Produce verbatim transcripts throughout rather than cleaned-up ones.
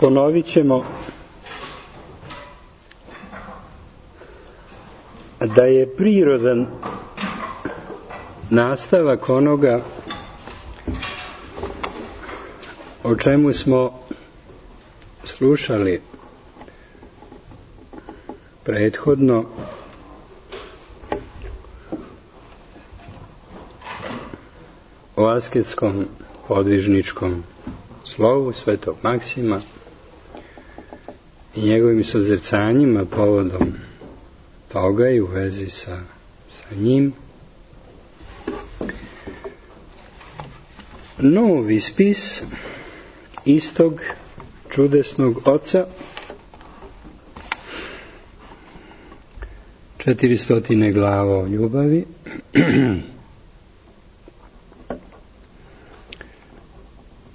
ponovit ćemo da je prirodan nastavak onoga o čemu smo slušali prethodno o asketskom podvižničkom slovu Svetog Maksima i njegovim sozrcanjima povodom toga i u vezi sa, sa njim. Novi spis istog čudesnog oca, četiristotine glava o ljubavi,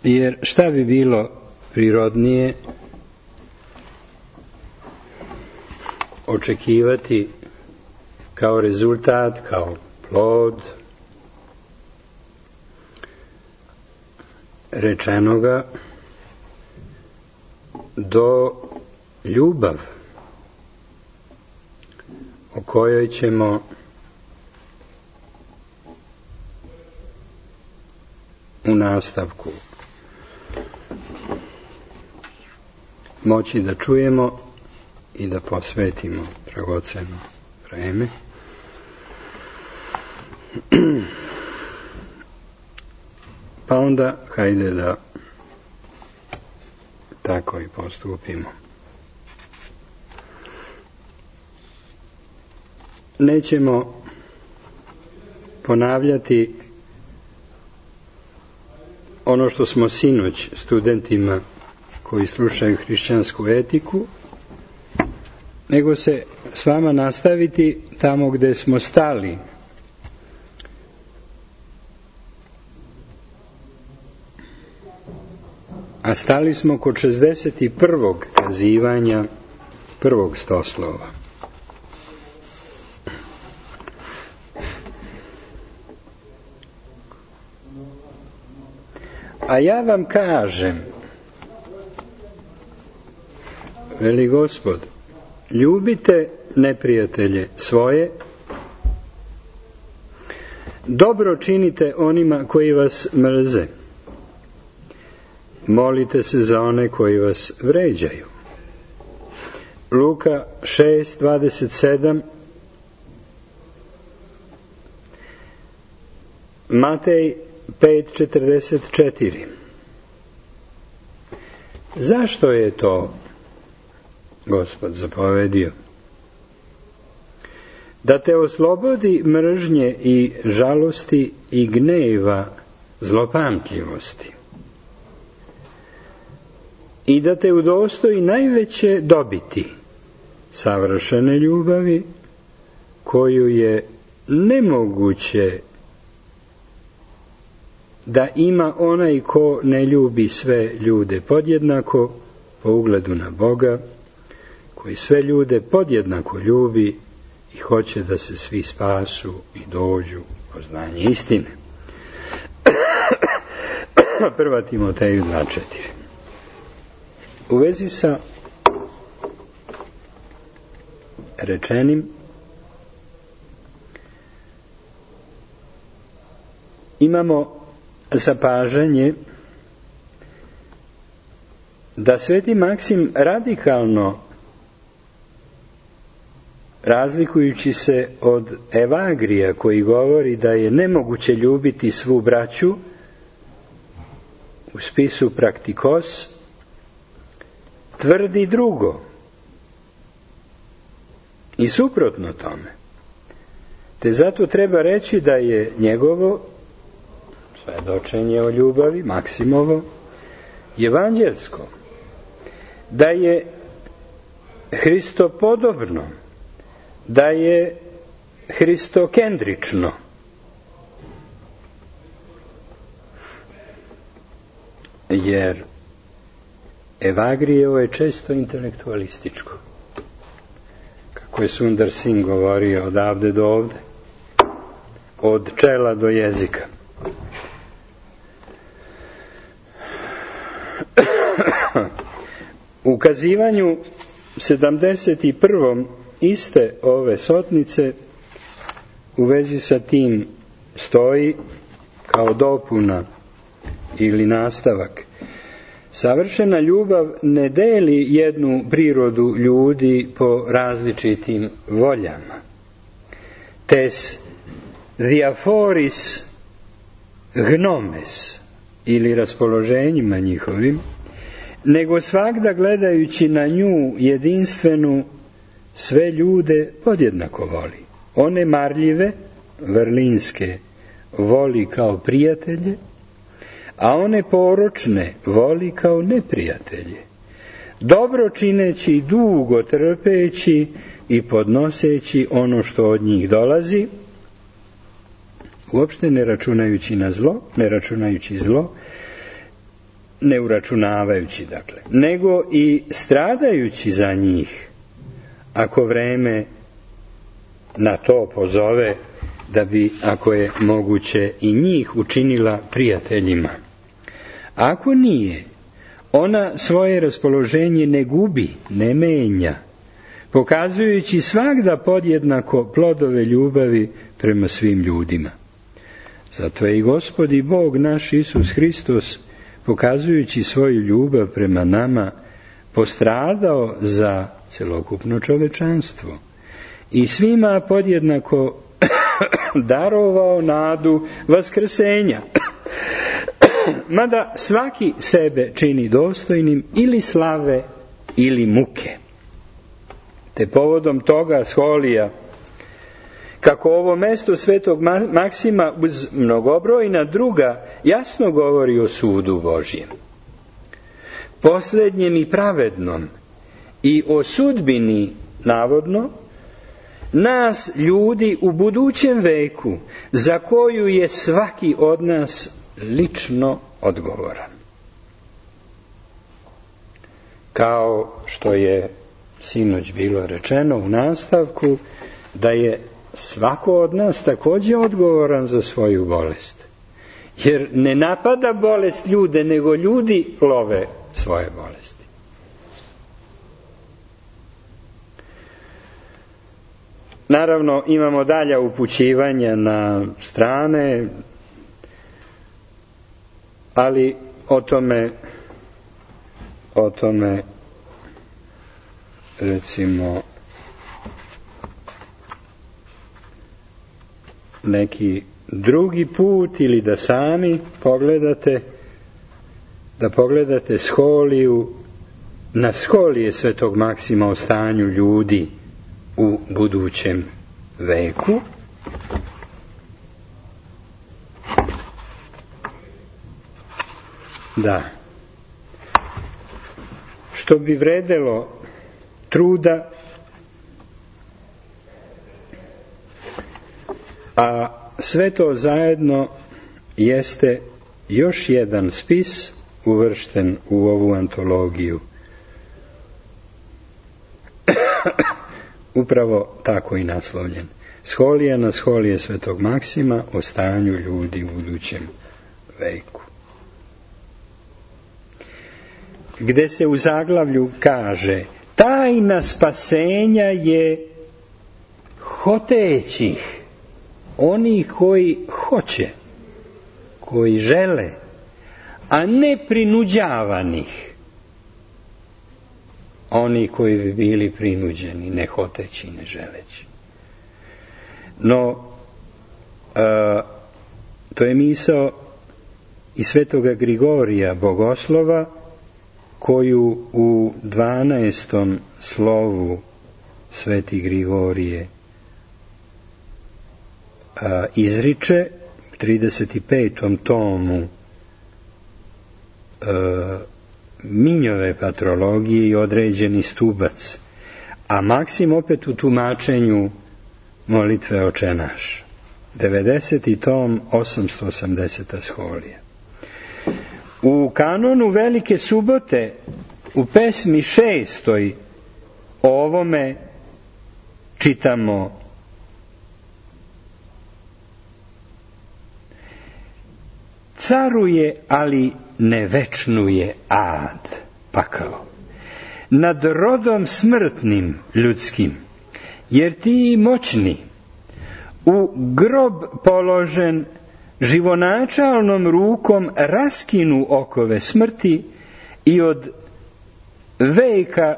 jer šta bi bilo prirodnije očekivati kao rezultat, kao plod rečenoga do ljubav o kojoj ćemo u nastavku moći da čujemo i da posvetimo dragoceno vreme. Pa onda hajde da tako i postupimo. Nećemo ponavljati ono što smo sinoć studentima koji slušaju hrišćansku etiku, nego se s vama nastaviti tamo gde smo stali. A stali smo kod šezdeset prvog kazivanja prvog stoslova. A ja vam kažem, veli Gospod, ljubite neprijatelje svoje, dobro činite onima koji vas mrze, molite se za one koji vas vređaju. Luka šest dvadeset sedam, Matej pet četrdeset četiri. Zašto je to Gospod zapovedio? Da te oslobodi mržnje i žalosti i gneva zlopamtljivosti i da te udostoji najveće dobiti, savršene ljubavi, koju je nemoguće da ima onaj ko ne ljubi sve ljude podjednako po ugledu na Boga, koji sve ljude podjednako ljubi i hoće da se svi spasu i dođu u poznanje istine. Prva Timoteju dva četiri. U vezi sa rečenim imamo zapažanje da Sveti Maksim radikalno, razlikujući se od Evagrija koji govori da je nemoguće ljubiti svu braću, u spisu Praktikos tvrdi drugo i suprotno tome. Te zato treba reći da je njegovo svedočenje o ljubavi, Maksimovo, evanđelsko, da je Hristopodobno, da je hristokendrično. Jer Evagrijevo je često intelektualističko. Kako je Sundar Singh govorio, odavde do ovde, od čela do jezika. U kazivanju sedamdeset prvom iste ove sotnice u vezi sa tim stoji kao dopuna ili nastavak: savršena ljubav ne deli jednu prirodu ljudi po različitim voljama. Tes diaforis gnomes, ili raspoloženjima njihovim, nego svagda gledajući na nju jedinstvenu sve ljude podjednako voli. One marljive, vrlinske, voli kao prijatelje, a one poročne voli kao neprijatelje, dobro čineći, dugo trpeći i podnoseći ono što od njih dolazi, uopšte ne računajući na zlo, ne računajući zlo, ne uračunavajući, dakle, nego i stradajući za njih, ako vreme na to pozove, da bi, ako je moguće, i njih učinila prijateljima. Ako nije, ona svoje raspoloženje ne gubi, ne menja, pokazujući svagda podjednako plodove ljubavi prema svim ljudima. Zato je i Gospod i Bog naš Isus Hristos, pokazujući svoju ljubav prema nama, postradao za celokupno čovečanstvo i svima podjednako darovao nadu vaskrsenja, mada svaki sebe čini dostojnim ili slave ili muke. Te povodom toga Scholija, kako ovo mesto svetog Maksima uz mnogobrojna druga jasno govori o sudu Božjem, posljednjem i pravednom, i o sudbini, navodno, nas ljudi u budućem veku, za koju je svaki od nas lično odgovoran. Kao što je sinoć bilo rečeno u nastavku, da je svako od nas također odgovoran za svoju bolest. Jer ne napada bolest ljude, nego ljudi love svoje bolesti. Naravno, imamo dalja upućivanja na strane, ali o tome, o tome, recimo, neki drugi put, ili da sami pogledate, da pogledate Scholiju, na Scholije svetog Maksima o stanju ljudi u budućem veku. Da. Što bi vredelo truda, a sve to zajedno jeste još jedan spis uvršten u ovu antologiju. Upravo tako i naslovljen. Scholija na Scholije svetog Maksima o stanju ljudi u budućem veku. Gde se u zaglavlju kaže: tajna spasenja je hotećih, oni koji hoće, koji žele, a ne prinuđavanih, oni koji bi bili prinuđeni, ne hoteći, ne želeći. No, a, to je misao i svetoga Grigorija Bogoslova, koju u dvanaestom slovu sveti Grigorije a, izriče, u trideset petom tomu a, Minjove patrologije i određeni stubac, a Maksim opet u tumačenju molitve Oče naš, devedeseti tom, osamsto osamdeseta Scholija. U kanonu Velike subote, u pesmi šestoj, o ovome čitamo: caruje, ali ne večnuje ad, pakao. nad rodom smrtnim ljudskim, jer ti moćni, u grob položen, živonačalnom rukom raskinu okove smrti i od veka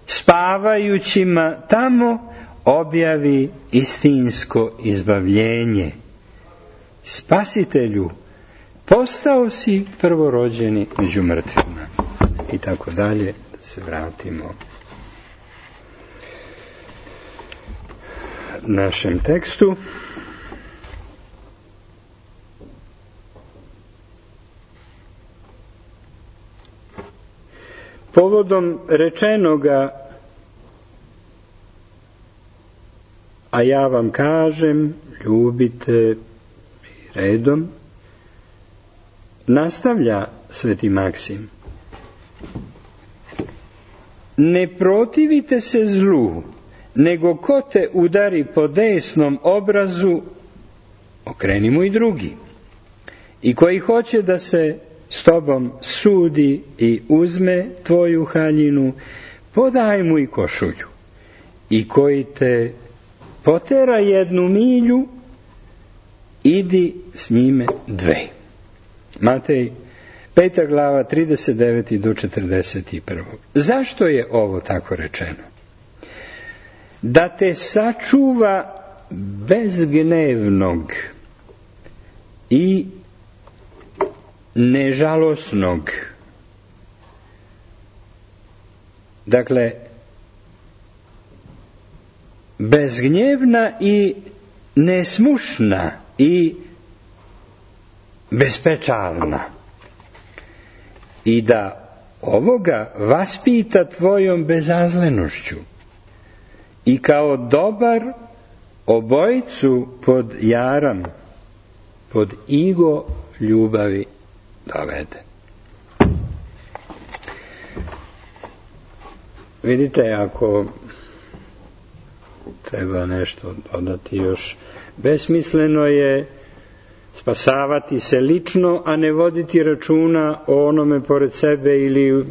spavajućima tamo objavi istinsko izbavljenje. Spasitelju, postao si prvorođeni među mrtvima. I tako dalje, da se vratimo našem tekstu. Povodom rečenoga, a ja vam kažem, ljubite redom, nastavlja sveti Maksim. Ne protivite se zlu, nego ko te udari po desnom obrazu, okreni mu i drugi. I koji hoće da se s tobom sudi i uzme tvoju haljinu, podaj mu i košulju. I koji te potera jednu milju, idi s njime dve. Matej, peta glava, trideset devet do četrdeset jedan. Zašto je ovo tako rečeno? Da te sačuva bezgnevnog i nežalosnog. Dakle, bezgnjevna i nesmušna i bespečalna. I da ovoga vaspita tvojom bezazlenošću i kao dobar obojicu pod jaram, pod igo ljubavi dovede. Vidite, ako treba nešto dodati još, besmisleno je spasavati se lično, a ne voditi računa o onome pored sebe ili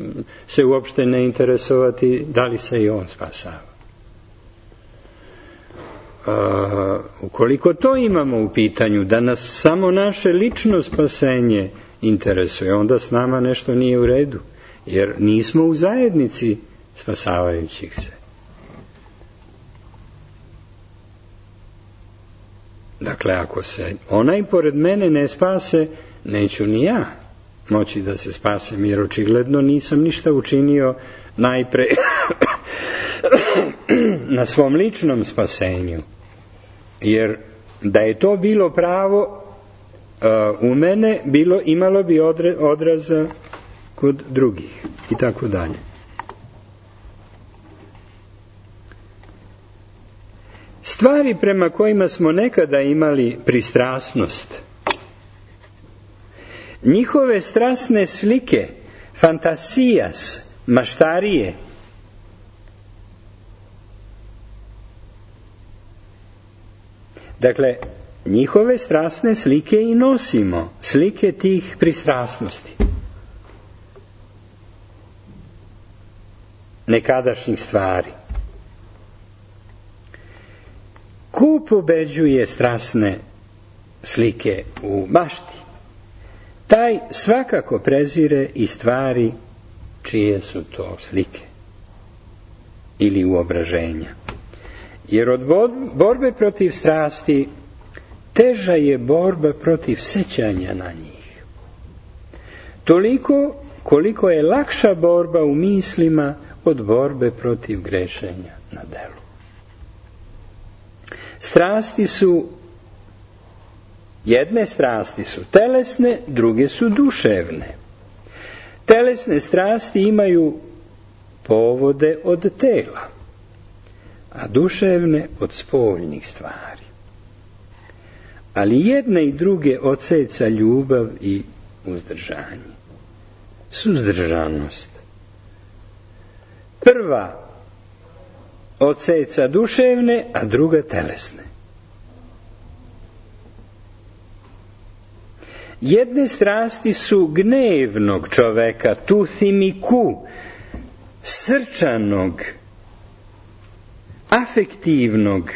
se uopšte ne interesovati da li se i on spasava. A, ukoliko to imamo u pitanju, da nas samo naše lično spasenje interesuje, onda s nama nešto nije u redu, jer nismo u zajednici spasavajućih se. Dakle, ako se onaj pored mene ne spase, neću ni ja moći da se spasem, jer očigledno nisam ništa učinio najpre na svom ličnom spasenju. Jer da je to bilo pravo uh, u mene, bilo, imalo bi odre, odraza kod drugih i tako dalje. Stvari prema kojima smo nekada imali pristrasnost, njihove strasne slike, fantasijas, maštarije, dakle, njihove strasne slike i nosimo, slike tih pristrasnosti, nekadašnjih stvari. Ko pobeđuje strasne slike u mašti, taj svakako prezire i stvari čije su to slike ili uobraženja. Jer od borbe protiv strasti teža je borba protiv sećanja na njih. Toliko koliko je lakša borba u mislima od borbe protiv grešenja na delu. Strasti su, jedne strasti su telesne, druge su duševne. Telesne strasti imaju povode od tela, a duševne od spoljnih stvari. Ali jedne i druge odseca ljubav i uzdržanje. Suzdržanost. Prva odseca duševne, a druga telesne. Jedne strasti su gnevnog čoveka, tu thimiku, srčanog, afektivnog,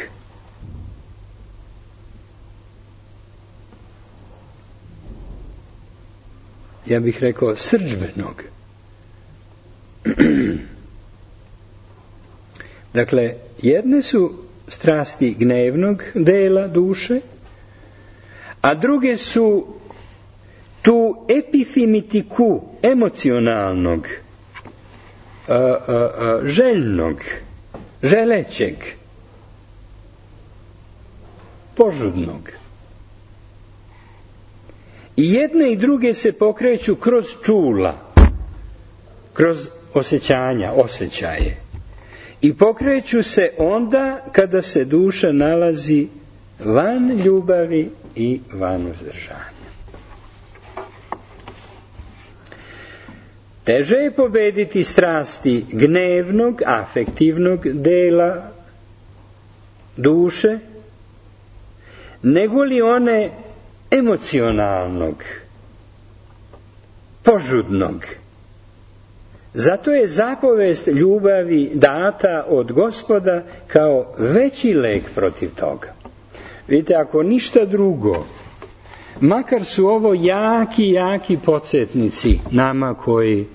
ja bih rekao srdžbenog. Dakle, jedne su strasti gnevnog dela duše, a druge su tu epifimitiku emocionalnog, a, a, a, željnog, želećeg, požudnog. I jedne i druge se pokreću kroz čula, kroz osjećanja, osjećaje. I pokreću se onda kada se duša nalazi van ljubavi i van uzdržanja. Teže je pobediti strasti gnevnog, afektivnog dela duše, nego li one emocionalnog, požudnog. Zato je zapovest ljubavi data od Gospoda kao veći lek protiv toga. Vidite, ako ništa drugo, makar su ovo jaki, jaki podsjetnici nama koji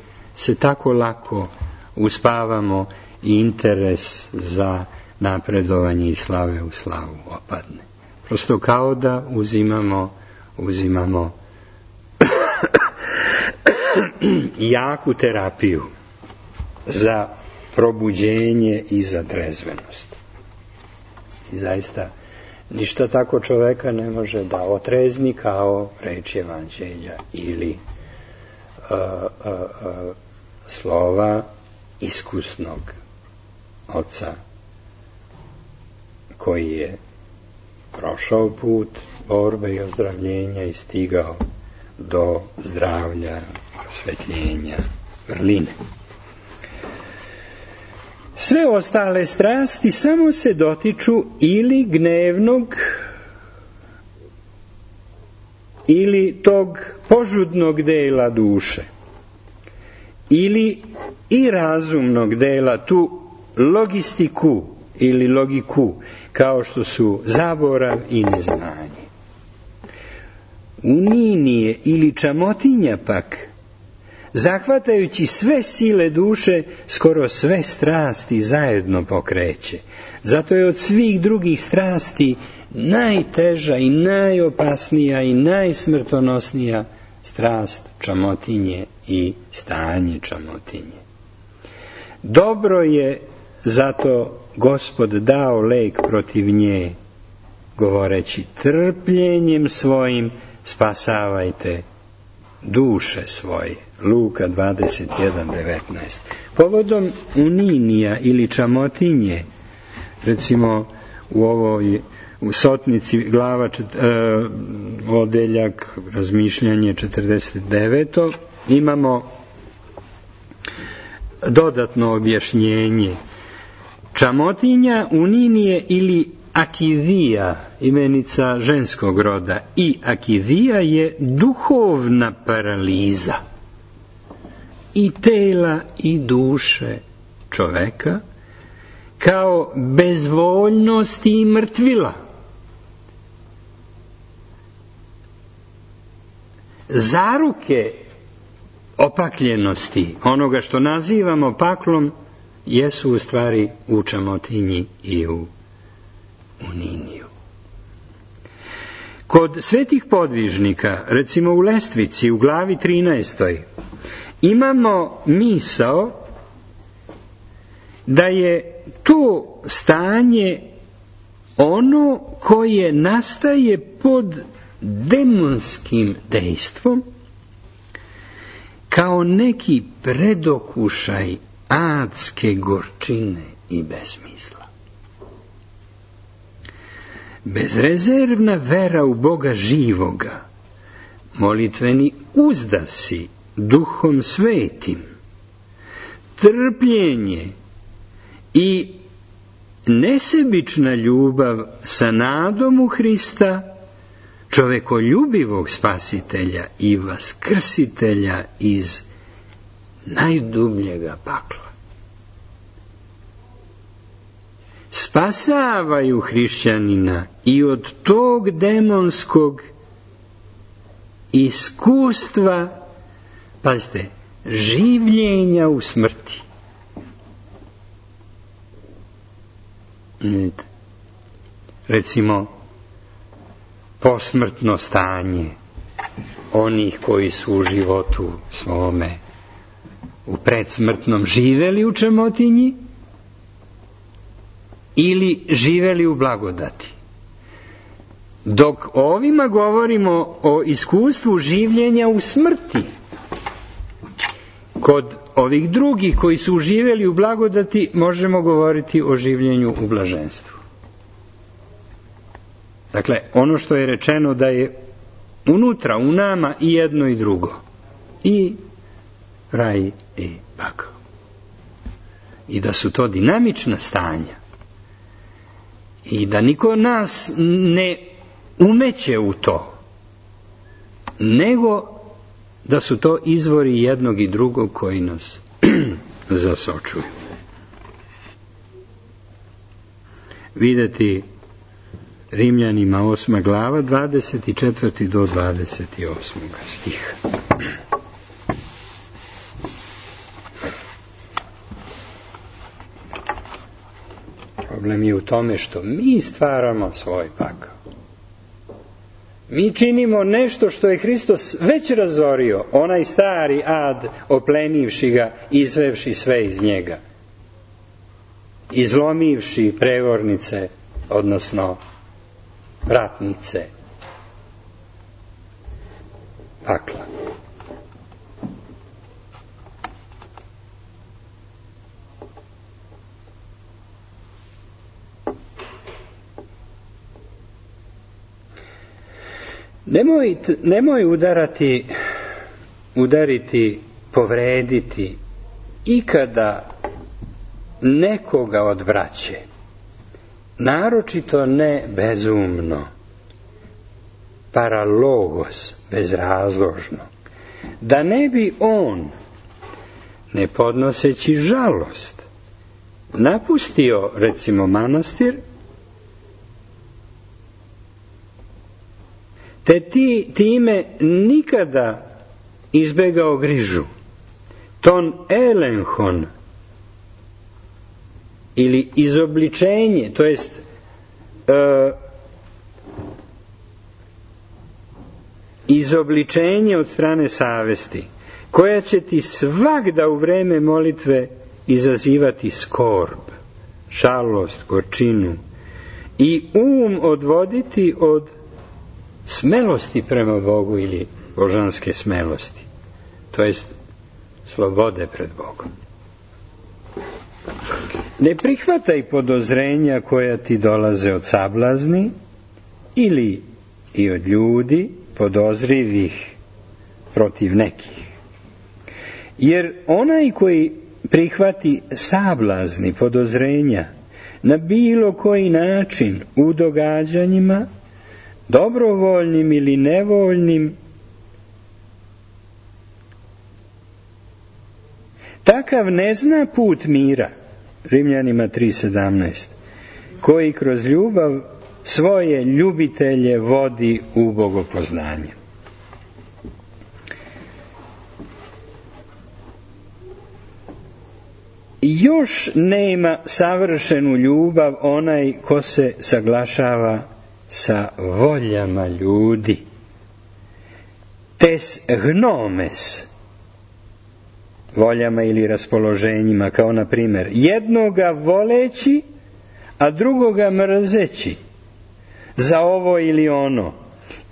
se tako lako uspavamo i interes za napredovanje i slave u slavu opadne. Prosto kao da uzimamo, uzimamo jaku terapiju za probuđenje i za trezvenost. I zaista ništa tako čoveka ne može da otrezni kao reč evanđelja ili uh, uh, uh, slova iskusnog oca koji je prošao put borbe i ozdravljenja i stigao do zdravlja, prosvetljenja, vrline. Sve ostale strasti samo se dotiču ili gnevnog ili tog požudnog dela duše ili i razumnog dela, tu logistiku ili logiku, kao što su zaborav i neznanje. Uninije ili čamotinja pak, zahvatajući sve sile duše, skoro sve strasti zajedno pokreće. Zato je od svih drugih strasti najteža i najopasnija i najsmrtonosnija strast čamotinje i stanje čamotinje. Dobro je zato Gospod dao lek protiv nje, govoreći trpljenjem svojim spasavajte duše svoje. Luka dvadeset jedan devetnaest. Povodom uninija ili čamotinje, recimo u ovoj u Sotnici glava čet, e, odeljak razmišljanje četrdeset devet imamo dodatno objašnjenje. Čamotinja, uninije ili akidija, imenica ženskog roda, i akidija je duhovna paraliza i tela i duše čoveka, kao bezvoljnost i mrtvila. Zaruke opakljenosti, onoga što nazivamo paklom, jesu u stvari u čamotinji i u uniniju. Kod svetih podvižnika, recimo u Lestvici, u glavi trinaestoj, imamo misao da je to stanje ono koje nastaje pod demonskim dejstvom, kao neki predokušaj adske gorčine i besmisla. Bezrezervna vera u Boga živoga, molitveni uzdasi duhom svetim, trpljenje i nesebična ljubav sa nadom u Hrista, čovekoljubivog spasitelja i vaskrsitelja iz najdubljega pakla. spasavaju hrišćanina i od tog demonskog iskustva, pazite, življenja u smrti. Recimo, posmrtno stanje onih koji su u životu svome u predsmrtnom živeli u čemotinji ili živeli u blagodati. Dok ovima govorimo o iskustvu življenja u smrti, kod ovih drugih koji su živeli u blagodati možemo govoriti o življenju u blaženstvu. Dakle, ono što je rečeno da je unutra, u nama i jedno i drugo. I raj i pakao. I da su to dinamična stanja. I da niko nas ne umeće u to, nego da su to izvori jednog i drugog koji nas zasočuju. Videti Rimljanima osma glava, dvadeset četvrti do dvadeset osmog stiha. Problem je u tome što mi stvaramo svoj pakao. Mi činimo nešto što je Hristos već razorio, onaj stari ad, oplenivši ga, izvevši sve iz njega, izlomivši prevornice, odnosno vratnice pakla. Nemoj, nemoj udarati, udariti, povrediti ikada nekoga od braće, naročito ne bezumno, paralogos, bezrazložno, da ne bi on, ne podnoseći žalost, napustio, recimo, manastir, te ti time nikada izbegao grižu, ton elenhon, ili izobličenje, to jest e, izobličenje od strane savesti, koja će ti svagda u vreme molitve izazivati skorb, žalost, gorčinu i um odvoditi od smelosti prema Bogu ili božanske smelosti, to jest slobode pred Bogom. Ne prihvataj podozrenja koja ti dolaze od sablazni ili i od ljudi podozrivih protiv nekih. Jer onaj koji prihvati sablazni podozrenja na bilo koji način u događanjima, dobrovoljnim ili nevoljnim, takav ne zna put mira, Rimljanima tri sedamnaest, koji kroz ljubav svoje ljubitelje vodi u bogopoznanje. Još nema savršenu ljubav onaj ko se saglašava sa voljama ljudi. Tes gnomes, voljama ili raspoloženjima, kao na primjer jednoga voleći, a drugoga mrzeći za ovo ili ono,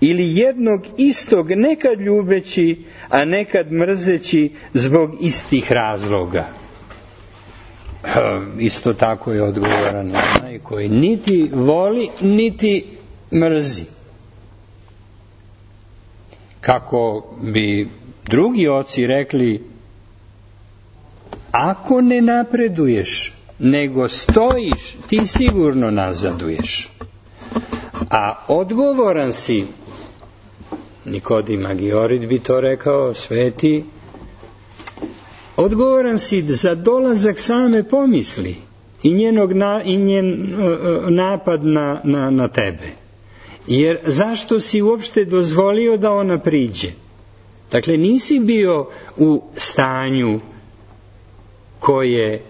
ili jednog istog nekad ljubeći, a nekad mrzeći zbog istih razloga. Isto tako je odgovoran onaj koji niti voli, niti mrzi. Kako bi drugi oci rekli, ako ne napreduješ, nego stojiš, ti sigurno nazaduješ. A odgovoran si, Nikodim Agiorid bi to rekao, sveti, odgovoran si za dolazak same pomisli, i, njenog na, i njen napad na, na, na tebe. Jer zašto si uopšte dozvolio da ona priđe? Dakle, nisi bio u stanju koje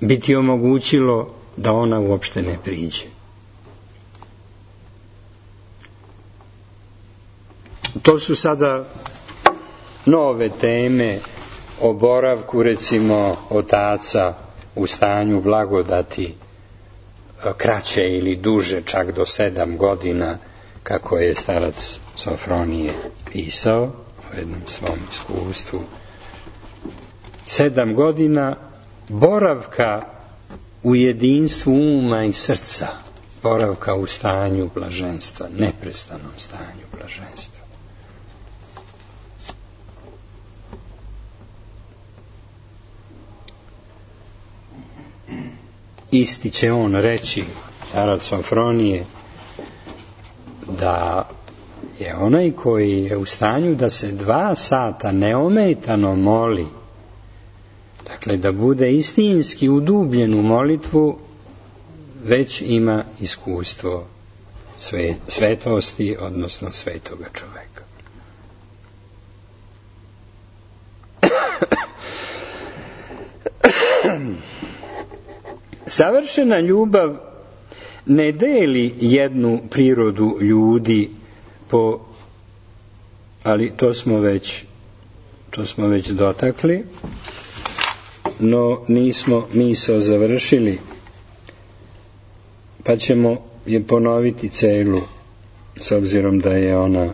bi ti omogućilo da ona uopšte ne priđe. To su sada nove teme o boravku, recimo, otaca u stanju blagodati kraće ili duže, čak do sedam godina, kako je starac Sofronije pisao u jednom svom iskustvu. Sedam godina boravka u jedinstvu uma i srca, boravka u stanju blaženstva, neprestanom stanju blaženstva. Isti će on reći, starac Sofronije, da je onaj koji je u stanju da se dva sata neometano moli, dakle da bude istinski udubljen u molitvu, već ima iskustvo sve, svetosti, odnosno svetoga čoveka. Savršena ljubav ne deli jednu prirodu ljudi po, ali to smo već to smo već dotakli, no nismo misao završili, pa ćemo je ponoviti celu, s obzirom da je ona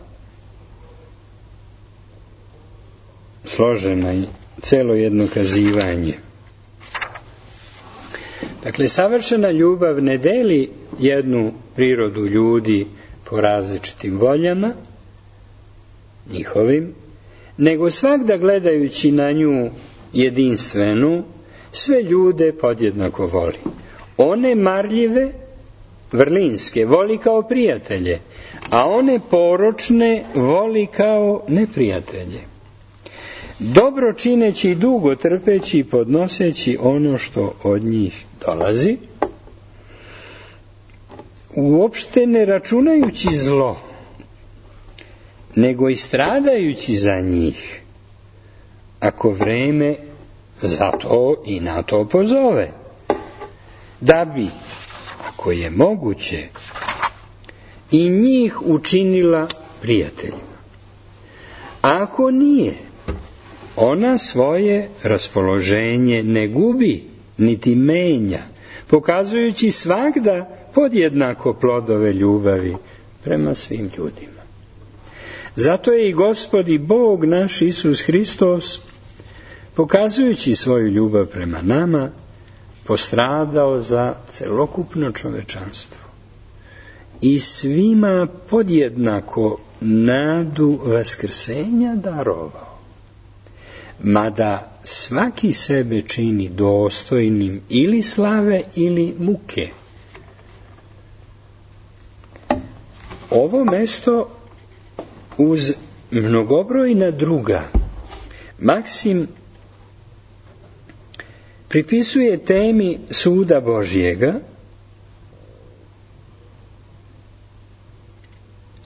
složena i celo jedno kazivanje. Dakle, savršena ljubav ne deli jednu prirodu ljudi po različitim voljama njihovim, nego svagda gledajući na nju jedinstvenu, sve ljude podjednako voli. One marljive, vrlinske, voli kao prijatelje, a one poročne voli kao neprijatelje. Dobro čineći i dugo trpeći i podnoseći ono što od njih dolazi, uopšte ne računajući zlo, nego i stradajući za njih, ako vreme za to i na to pozove, da bi, ako je moguće, i njih učinila prijateljima. A ako nije, ona svoje raspoloženje ne gubi, niti menja, pokazujući svagda podjednako plodove ljubavi prema svim ljudima. Zato je i Gospod i Bog naš Isus Hristos, pokazujući svoju ljubav prema nama, postradao za celokupno čovečanstvo i svima podjednako nadu vaskrsenja darovao. Mada svaki sebe čini dostojnim ili slave ili muke. Ovo mesto uz mnogobrojna druga Maksim pripisuje temi suda Božjega,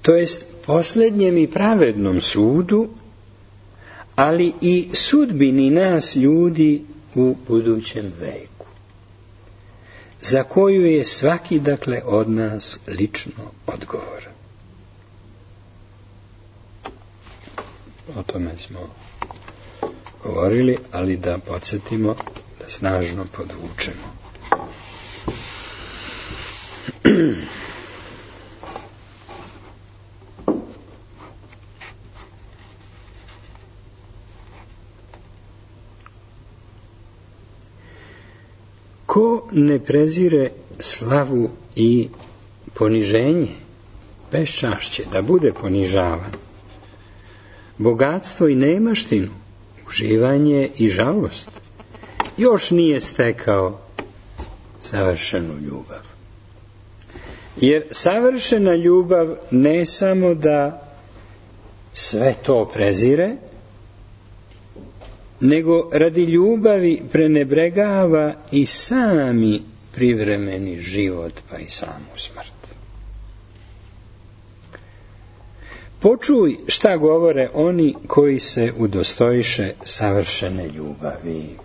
to jest posljednjem i pravednom sudu, ali i sudbini nas ljudi u budućem veku, za koju je svaki, dakle, od nas lično odgovoran. O tome smo govorili, ali da podsjetimo, da snažno podvučemo. Ko ne prezire slavu i poniženje, beščašće, da bude ponižavan, bogatstvo i nemaštinu, uživanje i žalost, još nije stekao savršenu ljubav. Jer savršena ljubav ne samo da sve to prezire, nego radi ljubavi prenebregava i sami privremeni život, pa i samu smrt. Počuj šta govore oni koji se udostojiše savršene ljubavi.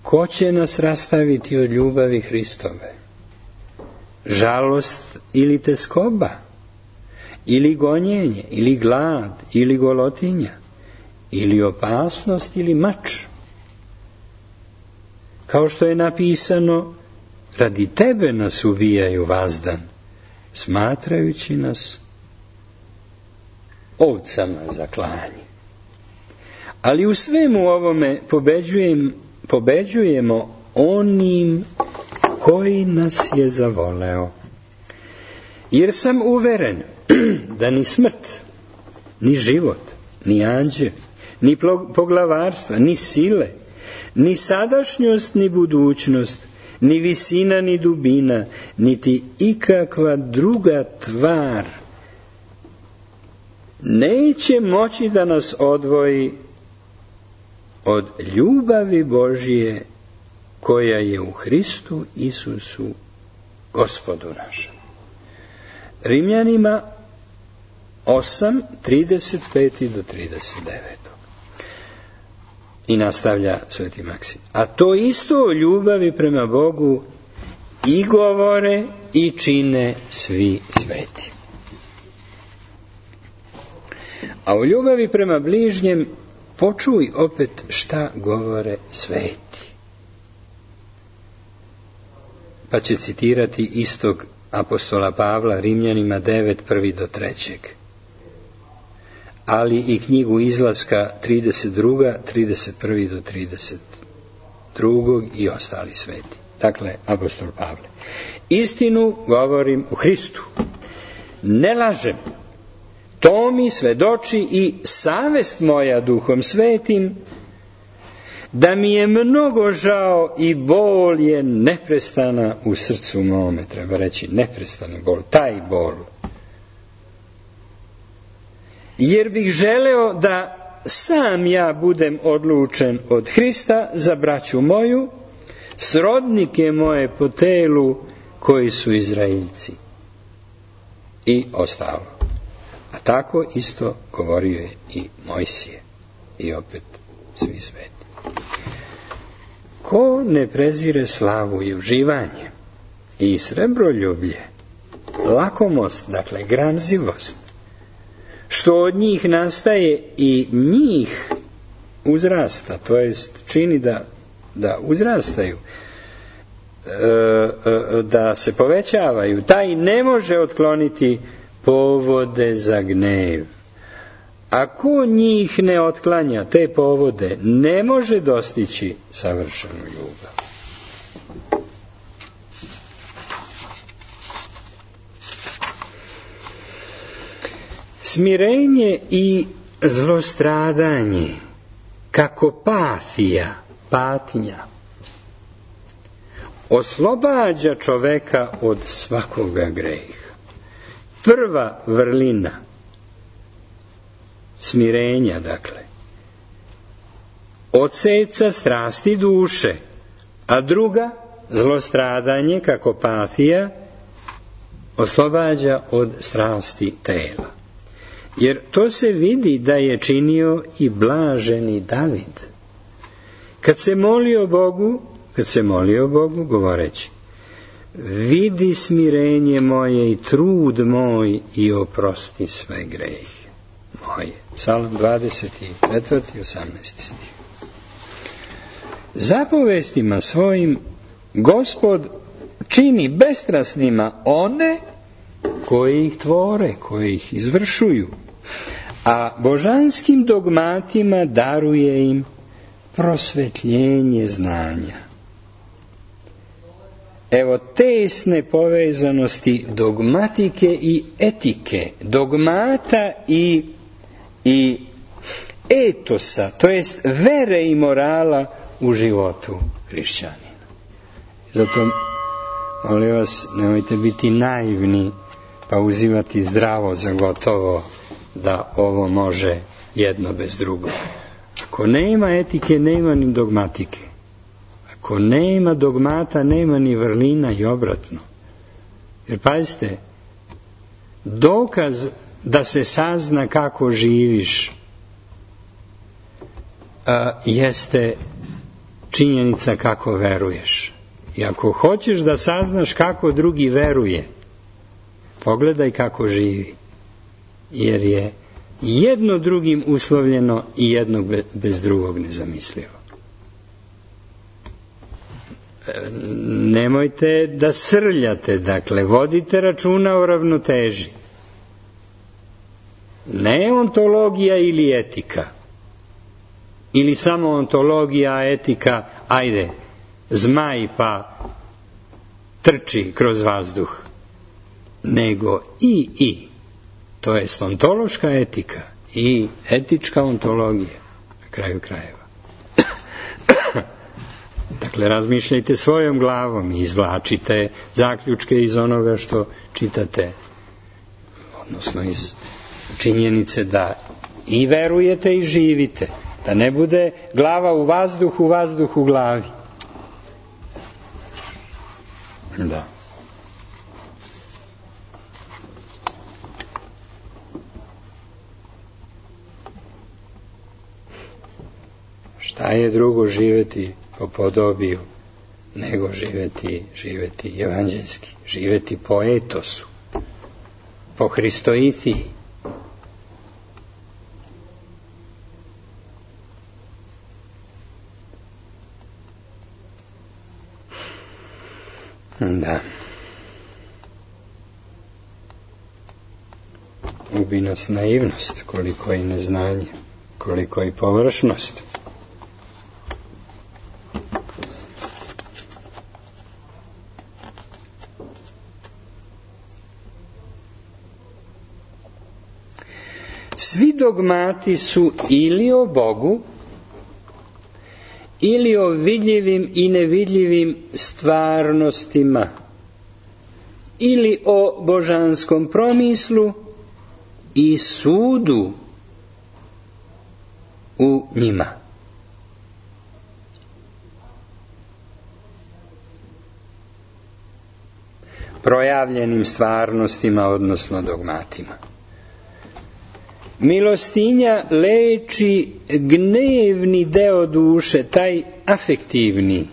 Ko će nas rastaviti od ljubavi Hristove? Žalost ili teskoba? Ili gonjenje? Ili glad? Ili golotinja? Ili opasnost? Ili mač? Kao što je napisano, radi tebe nas ubijaju vazdan, smatrajući nas ovcama za klanje. Ali u svemu ovome pobeđujem, pobeđujemo onim koji nas je zavoleo. Jer sam uveren da ni smrt, ni život, ni anđeli, ni poglavarstva, ni sile, ni sadašnjost, ni budućnost, ni visina, ni dubina, niti ikakva druga tvar neće moći da nas odvoji od ljubavi Božije koja je u Hristu Isusu Gospodu našem. Rimljanima osam, trideset pet do trideset devet. I nastavlja Sveti Maksim. A to isto o ljubavi prema Bogu i govore i čine svi sveti. A u ljubavi prema bližnjem počuj opet šta govore sveti. Pa će citirati istog apostola Pavla Rimljanima devet, prvi do trećeg. Ali i knjigu Izlaska trideset dva, trideset jedan do trideset dva i ostali sveti. Dakle, apostol Pavle. Istinu govorim u Hristu. Ne lažem. To mi svedoči i savest moja Duhom Svetim, da mi je mnogo žao i bol je neprestana u srcu mome. Treba reći neprestani bol, taj bol. Jer bih želeo da sam ja budem odlučen od Hrista za braću moju, srodnike moje po telu koji su Izraeljci. I ostalo. A tako isto govorio je i Mojsije. I opet svi sveti. Ko ne prezire slavu i uživanje i srebroljublje, lakomost, dakle gramzivost, što od njih nastaje i njih uzrasta, to jest čini da, da uzrastaju, da se povećavaju, taj ne može otkloniti povode za gnev. Ako njih ne otklanja te povode, ne može dostići savršenu ljubav. Smirenje i zlostradanje, kako patija, patnja, oslobađa čoveka od svakoga greha. Prva vrlina smirenja, dakle, odseca strasti duše, a druga, zlostradanje, kako patija, oslobađa od strasti tela. Jer to se vidi da je činio i blaženi David. Kad se molio Bogu, kad se molio Bogu, govoreći, vidi smirenje moje i trud moj i oprosti sve grehe moje. Psalam dvadeset četvrti, osamnaesti stih. Zapovestima svojim Gospod čini bestrasnima one koji ih tvore, koji ih izvršuju, a božanskim dogmatima daruje im prosvetljenje znanja. Evo tesne povezanosti dogmatike i etike, dogmata i, i etosa, to jest vere i morala u životu hrišćanina. Zato, molim vas, nemojte biti naivni pa uzimati zdravo za gotovo da ovo može jedno bez drugog. Ako nema etike, nema ni dogmatike. Ako nema dogmata, nema ni vrlina i obratno. Jer pazite, dokaz da se sazna kako živiš a, jeste činjenica kako veruješ. I ako hoćeš da saznaš kako drugi veruje, pogledaj kako živi. Jer je jedno drugim uslovljeno i jedno bez drugog nezamislivo. Nemojte da srljate, dakle, vodite računa o ravnoteži. Ne ontologija ili etika. Ili samo ontologija, etika, ajde, zmaj pa trči kroz vazduh. Nego i i. To je ontološka etika i etička ontologija na kraju krajeva. Dakle, razmišljajte svojom glavom i izvlačite zaključke iz onoga što čitate, odnosno iz činjenice da i verujete i živite, da ne bude glava u vazduhu, vazduh u glavi. Da. Šta je drugo živeti po podobiju nego živeti, živeti evanđelski, živeti po etosu, po Hristoithiji. Da. Ubi nas naivnost, koliko i neznanje, koliko i površnost. Svi dogmati su ili o Bogu, ili o vidljivim i nevidljivim stvarnostima, ili o božanskom promislu i sudu u njima. Projavljenim stvarnostima, odnosno dogmatima. Milostinja leči gnevni deo duše, taj afektivni,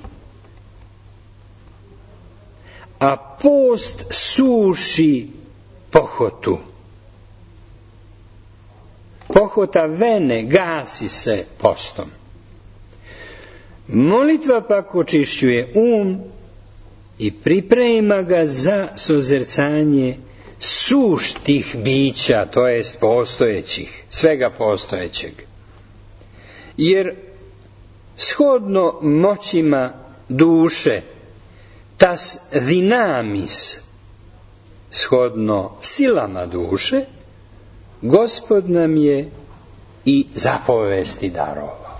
a post suši pohotu. Pohota vene gasi se postom. Molitva pak očišćuje um i priprema ga za sozercanje suštih bića, to jest postojećih, svega postojećeg. Jer shodno moćima duše, tas dinamis, shodno silama duše, Gospod nam je i zapovesti darovao.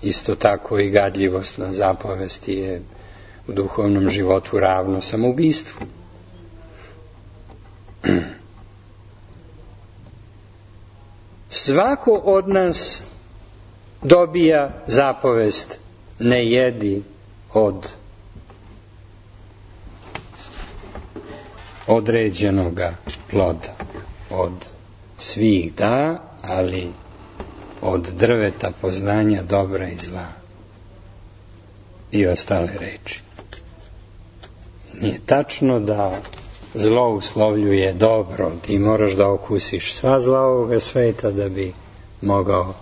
Isto tako i gadljivost na zapovesti je u duhovnom životu ravno samoubistvu. Svako od nas dobija zapovest ne jedi od određenoga ploda. Od svih da, ali od drveta poznanja dobra i zla i ostale reči. Nije tačno da zlo uslovljuje dobro. Ti moraš da okusiš sva zla ovoga sveta da bi mogao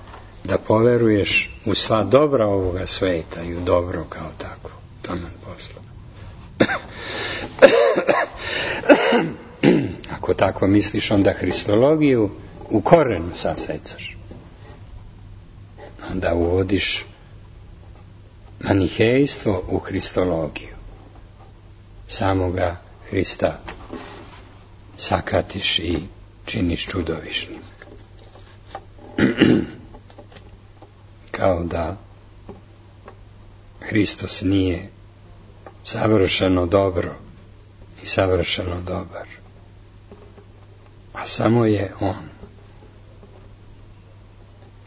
da poveruješ u sva dobra ovoga sveta i u dobro kao tako. Taman posla. Ako tako misliš, onda Hristologiju u korenu sasecaš. Onda uvodiš manihejstvo u Hristologiju. Samoga Hrista sakatiš i činiš čudovišnim. Kao da Hristos nije savršeno dobro i savršeno dobar. A samo je on,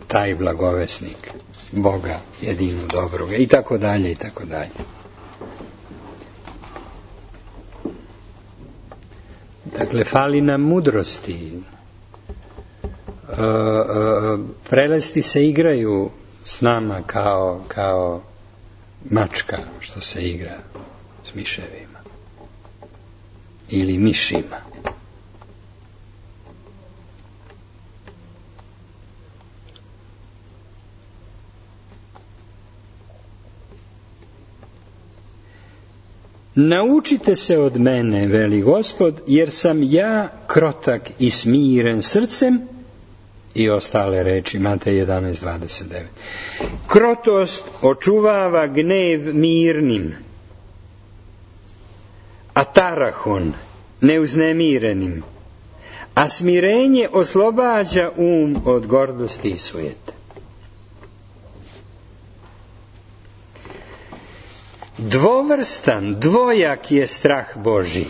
taj blagovesnik Boga jedinu dobroga i tako dalje i tako dalje. Dakle, fali nam mudrosti. E, e, prelesti se igraju s nama kao, kao mačka što se igra s miševima ili mišima. Naučite se od mene, veli Gospod, jer sam ja krotak i smiren srcem, i ostale reči, Matej jedanaest dvadeset devet. Krotost očuvava gnev mirnim, a tarahon neuznemirenim, a smirenje oslobađa um od gordosti i sujete. Dvovrstan, dvojak je strah Božji.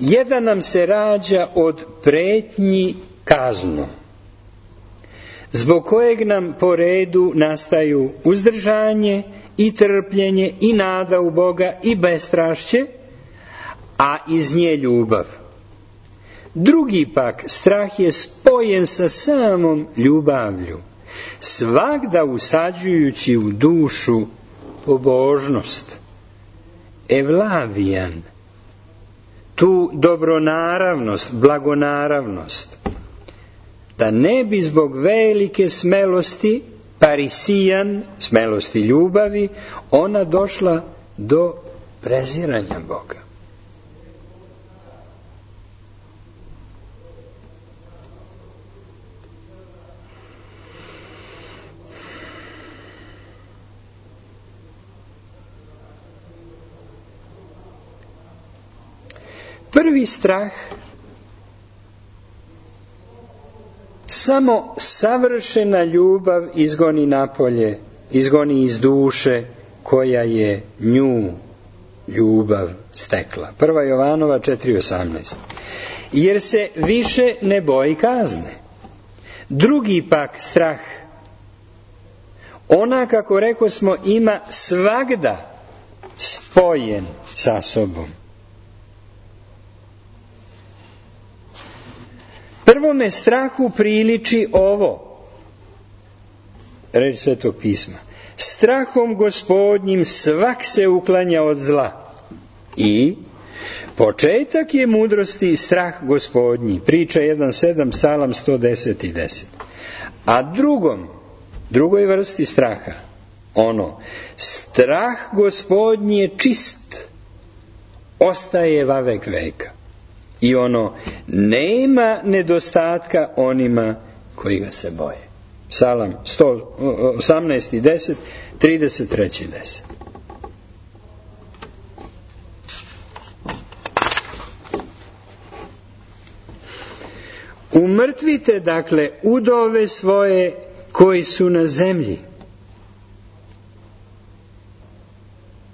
Jedan nam se rađa od pretnji kaznom, zbog kojeg nam po redu nastaju uzdržanje i trpljenje i nada u Boga i bestrašće, a iz nje ljubav. Drugi pak strah je spojen sa samom ljubavlju, svagda usađujući u dušu pobožnost, evlavijan, tu dobronaravnost, blagonaravnost, da ne bi zbog velike smelosti, parisijan, smelosti ljubavi, ona došla do preziranja Boga. Prvi strah samo savršena ljubav izgoni napolje, izgoni iz duše koja je nju ljubav stekla. Prva Jovanova četiri osamnaest. Jer se više ne boji kazne. Drugi pak strah, ona, kako reko smo, ima svagda spojen sa sobom. Prvome strahu priliči ovo, reč Svetog pisma. Strahom Gospodnjim svak se uklanja od zla. I početak je mudrosti strah Gospodnji. Priča jedan sedam, Psalam sto deset i deset. A drugom, drugoj vrsti straha, ono, strah Gospodnji je čist, ostaje vavek veka. I ono, nema nedostatka onima koji ga se boje. Psalam sto osamnaest i deset, trideset tri i deset. Umrtvite, dakle, udove svoje koji su na zemlji.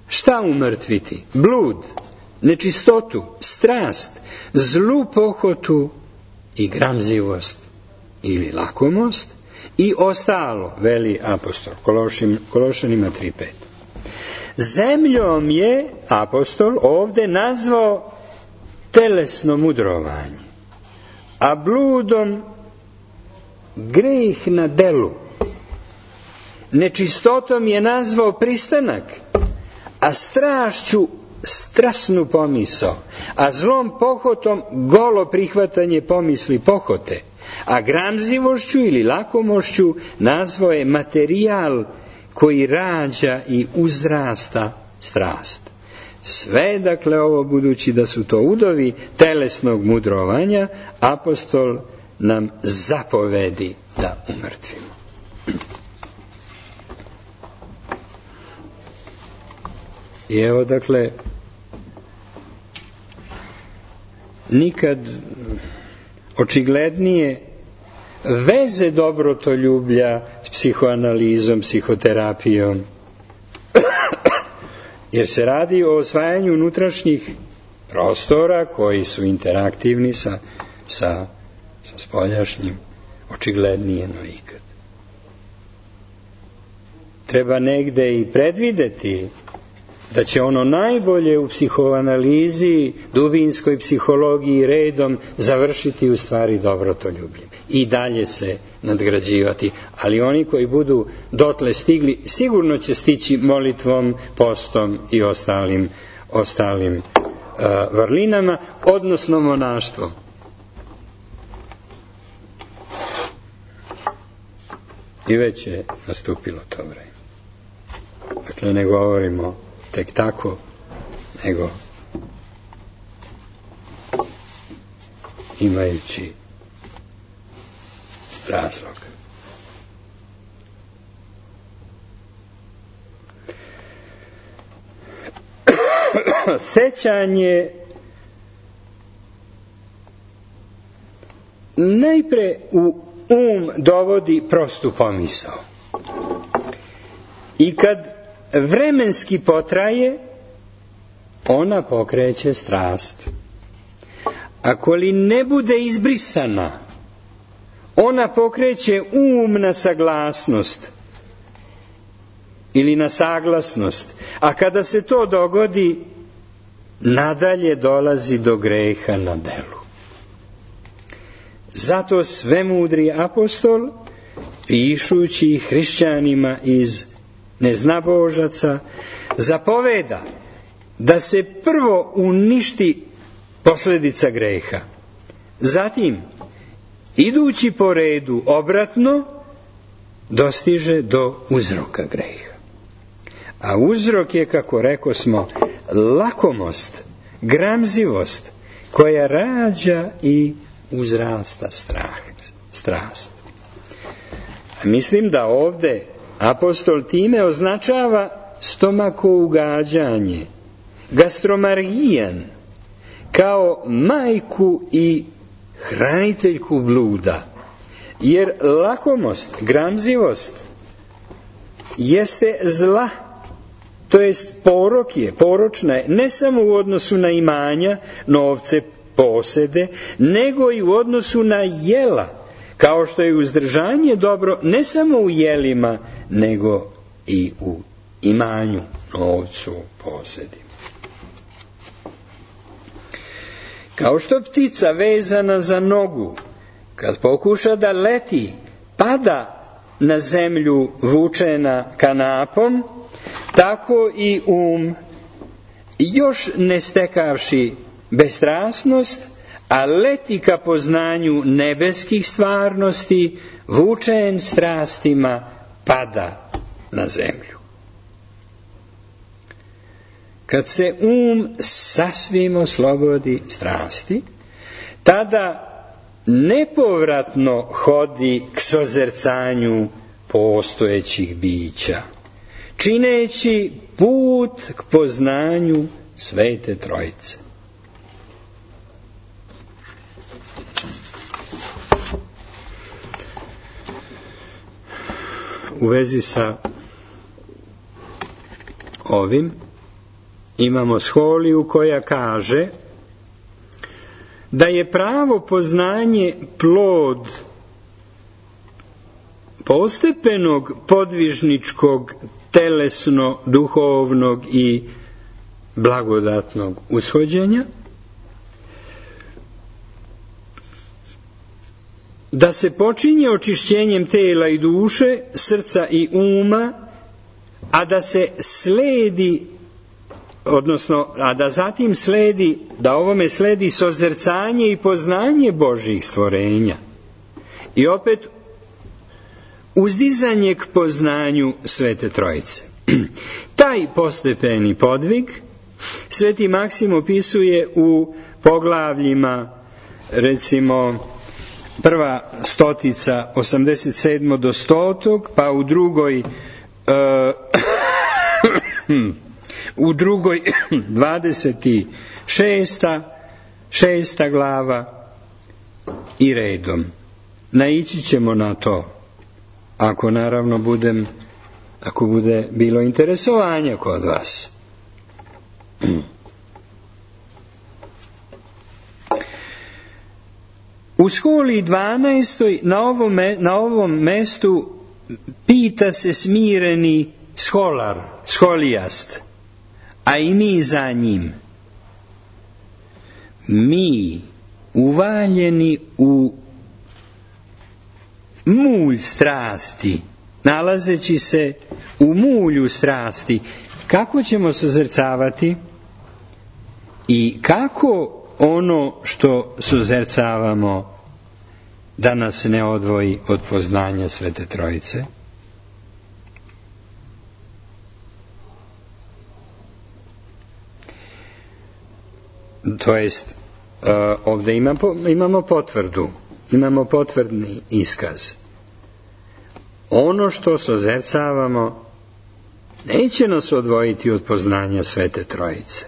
Šta umrtviti? Blud, nečistotu, strast, zlu pohotu i gramzivost ili lakomost i ostalo, veli apostol Kološanima tri pet. Zemljom je apostol ovde nazvao telesno mudrovanje, a bludom greh na delu. Nečistotom je nazvao pristanak, a strašću strasnu pomisao, a zlom pohotom golo prihvatanje pomisli pohote, a gramzivošću ili lakomošću nazvao je materijal koji rađa i uzrasta strast. Sve, dakle, ovo, budući da su to udovi telesnog mudrovanja, apostol nam zapovedi da umrtvimo. I evo, dakle, nikad očiglednije veze dobrotoljublja s psihoanalizom, psihoterapijom jer se radi o osvajanju unutrašnjih prostora koji su interaktivni sa, sa, sa spoljašnjim, očiglednije no ikad. Treba negde i predvideti da će ono najbolje u psihoanalizi, dubinskoj psihologiji redom završiti u stvari dobrotoljubljem i dalje se nadgrađivati, ali oni koji budu dotle stigli sigurno će stići molitvom, postom i ostalim, ostalim uh, vrlinama, odnosno monaštvom. I već je nastupilo to vreme. Dakle, ne govorimo tek tako, nego imajući razlog. Sećanje najpre u um dovodi prostu pomisao. I kad vremenski potraje, ona pokreće strast. Ako li ne bude izbrisana, ona pokreće um na saglasnost ili na saglasnost, a kada se to dogodi, nadalje dolazi do greha na delu. Zato svemudri apostol, pišući hrišćanima iz neznabožaca, zapoveda da se prvo uništi posljedica greha. Zatim, idući po redu obratno, dostiže do uzroka greha. A uzrok je, kako rekosmo, lakomost, gramzivost, koja rađa i uzrasta strah, strast. A mislim da ovde apostol time označava stomakougađanje, gastromargijan, kao majku i hraniteljku bluda. Jer lakomost, gramzivost, jeste zla, to jest porok je, poročna je, ne samo u odnosu na imanja, novce, posede, nego i u odnosu na jela, kao što je uzdržanje dobro ne samo u jelima, nego i u imanju, novcu, posedima. Kao što ptica vezana za nogu, kad pokuša da leti, pada na zemlju vučena kanapom, tako i um, još ne stekavši bestrasnost, a leti ka poznanju nebeskih stvarnosti, vučen strastima, pada na zemlju. Kad se um sasvim oslobodi strasti, tada nepovratno hodi k sozercanju postojećih bića, čineći put k poznanju Svete Trojice. U vezi sa ovim imamo Scholiju koja kaže da je pravo poznanje plod postepenog podvižničkog, telesno-duhovnog i blagodatnog ushođenja, da se počinje očišćenjem tela i duše, srca i uma, a da se sledi, odnosno, a da zatim sledi, da ovome sledi sozercanje i poznanje Božjih stvorenja. I opet uzdizanje k poznanju Svete Trojice. Taj postepeni podvig Sveti Maksim opisuje u poglavljima, recimo, prva stotica, osamdeset sedmo do stotog, pa u drugoj uh, u drugoj dvadeset šesta šesta glava i redom. Naići ćemo na to, ako naravno budem, ako bude bilo interesovanja kod vas. U školi dvanaestoj na ovom, na ovom mestu pita se smireni školar, školijast, a i mi za njim. Mi, uvaljeni u mulj strasti, nalazeći se u mulju strasti, kako ćemo suzercavati i kako ono što suzercavamo da nas ne odvoji od poznanja Svete Trojice? To jest, ovdje imamo potvrdu, imamo potvrdni iskaz. Ono što sozercavamo neće nas odvojiti od poznanja Svete Trojice,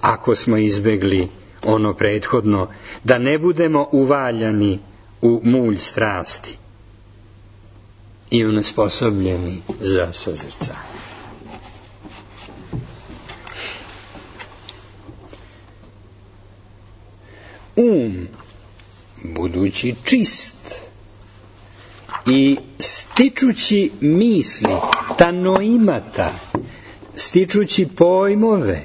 ako smo izbegli ono prethodno, da ne budemo uvaljani u mulj strasti i onesposobljeni za sozercanje. Um, budući čist i stičući misli, tanoimata, stičući pojmove,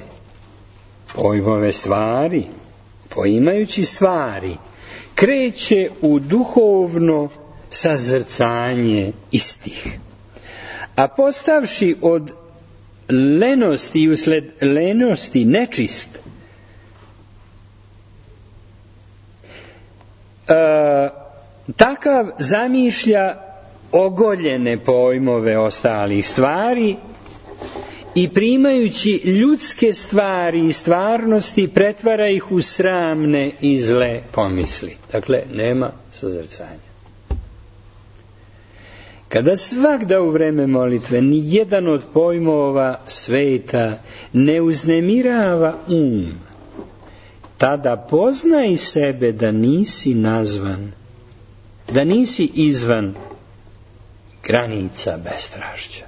pojmove stvari, poimajući stvari, kreće u duhovno sazrcanje istih. A postavši od lenosti i usled lenosti nečist, e, takav zamišlja ogoljene pojmove ostalih stvari i primajući ljudske stvari i stvarnosti pretvara ih u sramne i zle pomisli. Dakle, nema sozrcanja. Kada svagda u vreme molitve ni jedan od pojmova sveta ne uznemirava um, tada poznaj sebe da nisi nazvan, da nisi izvan granica bestrašća.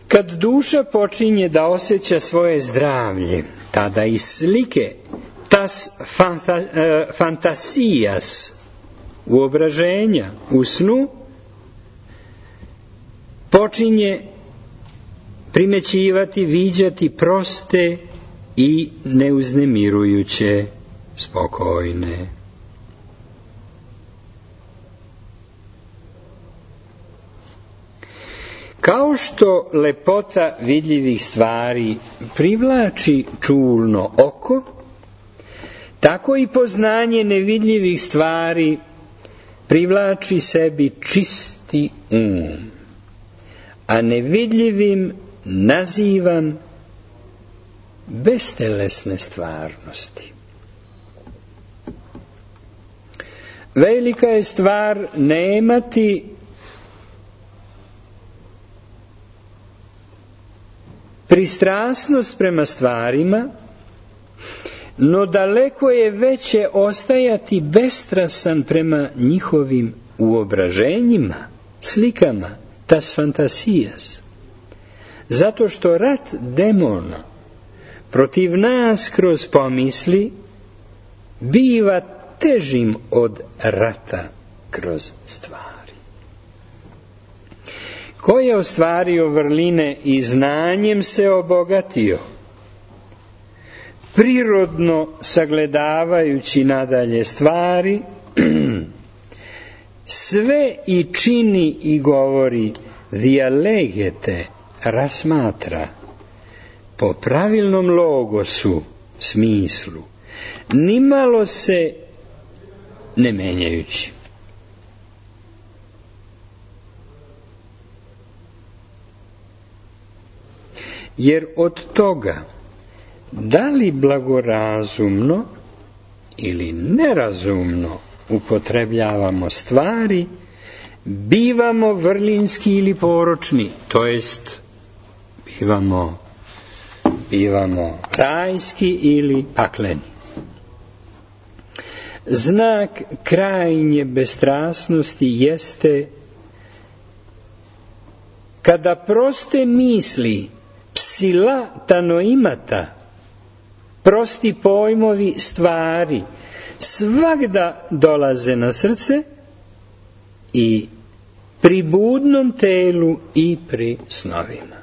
Kad duša počinje da osjeća svoje zdravlje, tada iz slike tas fanta, e, fantasijas, uobraženja, u snu, počinje primećivati, viđati proste i neuznemirujuće, spokojne. Kao što lepota vidljivih stvari privlači čulno oko, tako i poznanje nevidljivih stvari privlači sebi čisti um, a nevidljivim nazivam bestelesne stvarnosti. Velika je stvar nemati pristrasnost prema stvarima, no daleko je veće ostajati bestrasan prema njihovim uobraženjima, slikama, tas fantasijas. Zato što rat demona protiv nas kroz pomisli biva težim od rata kroz stvari. Ko je ostvario vrline i znanjem se obogatio, prirodno sagledavajući nadalje stvari, sve i čini i govori dialegete, rasmatra, po pravilnom logosu, smislu, nimalo se ne menjajući. Jer od toga, da li blagorazumno ili nerazumno upotrebljavamo stvari, bivamo vrlinski ili poročni, to jest bivamo, bivamo rajski ili pakleni. Znak krajnje bestrasnosti jeste kada proste misli psila tanoimata, prosti pojmovi stvari, svagda dolaze na srce i pri budnom telu i pri snovima.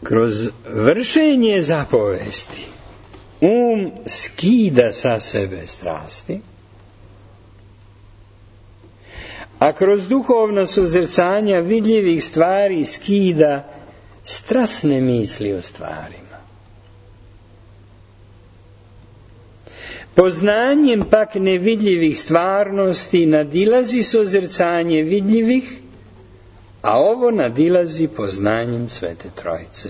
Kroz vršenje zapovesti um skida sa sebe strasti, a kroz duhovna suzrcanja vidljivih stvari skida strasne misli o stvarima. Poznanjem pak nevidljivih stvarnosti nadilazi suzrcanje vidljivih, a ovo nadilazi poznanjem Svete Trojice.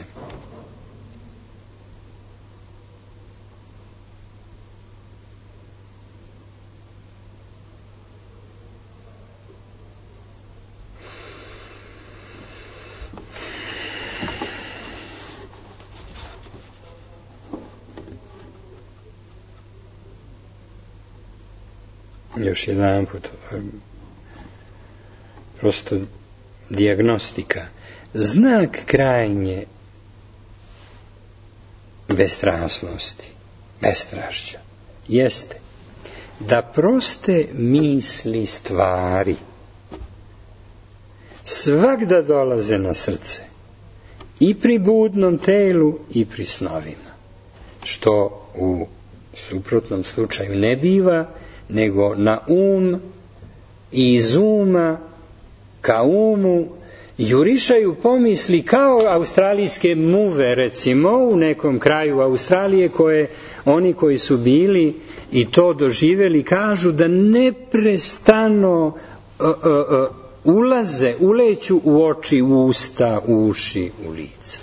Još jedan put, prosto dijagnostika. Znak krajnje bestrasnosti, bestrašća, jeste da proste misli stvari svagda dolaze na srce i pri budnom telu i pri snovima, što u suprotnom slučaju ne biva, nego na um i iz uma ka umu jurišaju pomisli kao australijske muve, recimo u nekom kraju Australije, koje oni koji su bili i to doživjeli kažu da neprestano uh, uh, uh, ulaze, uleću u oči, u usta, u uši, u lice.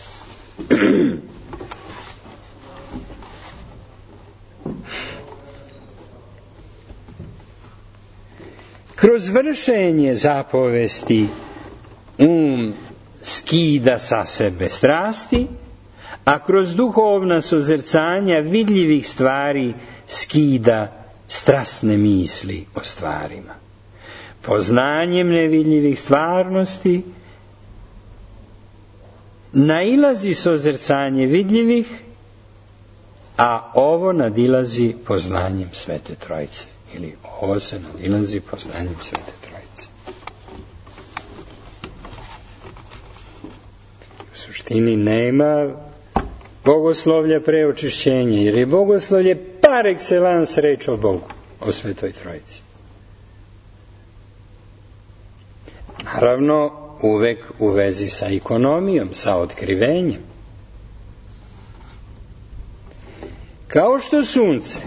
Kroz vršenje zapovesti um skida sa sebe strasti, a kroz duhovna suzrcanja vidljivih stvari skida strasne misli o stvarima. Poznanjem nevidljivih stvarnosti nailazi suzrcanje vidljivih, a ovo nadilazi poznanjem Svete Trojice. Ili ovo se nadilazi poznanjem Svete Trojice. U suštini nema bogoslovlja pre očišćenja, jer je bogoslovlje par excellence reč o Bogu, o Svetoj Trojici. Naravno, uvek u vezi sa ekonomijom, sa otkrivenjem. Kao što sunce,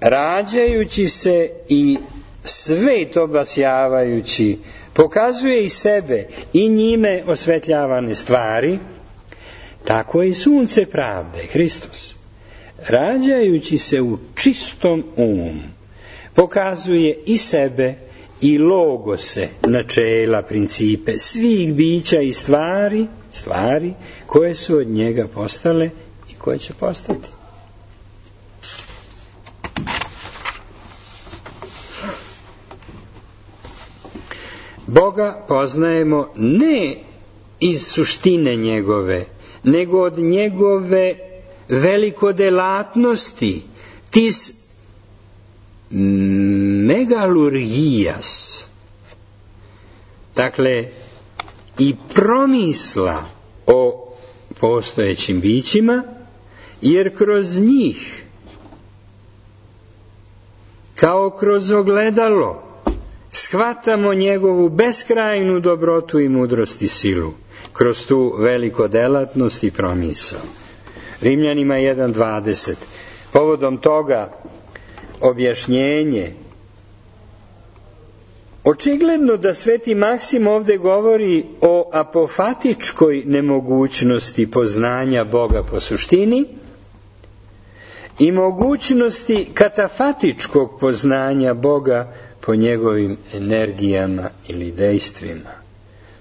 rađajući se i svet obasjavajući, pokazuje i sebe i njime osvetljavane stvari, tako je i sunce pravde, Hristos, rađajući se u čistom umu, pokazuje i sebe i logose, načela, principe svih bića i stvari, stvari koje su od njega postale i koje će postati. Boga poznajemo ne iz suštine njegove, nego od njegove velikodelatnosti, tis megalurgijas, dakle i promisla o postojećim bićima, jer kroz njih, kao kroz ogledalo, shvatamo njegovu beskrajnu dobrotu i mudrost i silu, kroz tu velikodelatnost i promisao. Rimljanima jedan dvadeset. Povodom toga objašnjenje. Očigledno da Sveti Maksim ovdje govori o apofatičkoj nemogućnosti poznanja Boga po suštini i mogućnosti katafatičkog poznanja Boga po njegovim energijama ili dejstvima.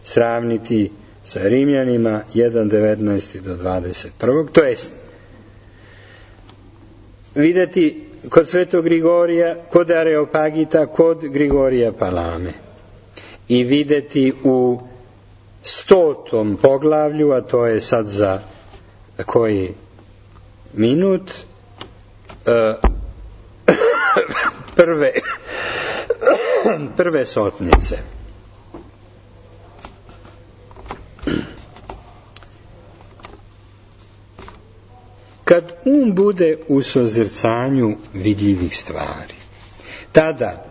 Sravniti sa Rimljanima jedan devetnaest do dvadeset jedan. To jest, vidjeti kod Svetog Grigorija, kod Areopagita, kod Grigorija Palame. I vidjeti u stotom poglavlju, a to je sad za koji minut, prve, prve sotnice. Kad um bude u sozrcanju vidljivih stvari, tada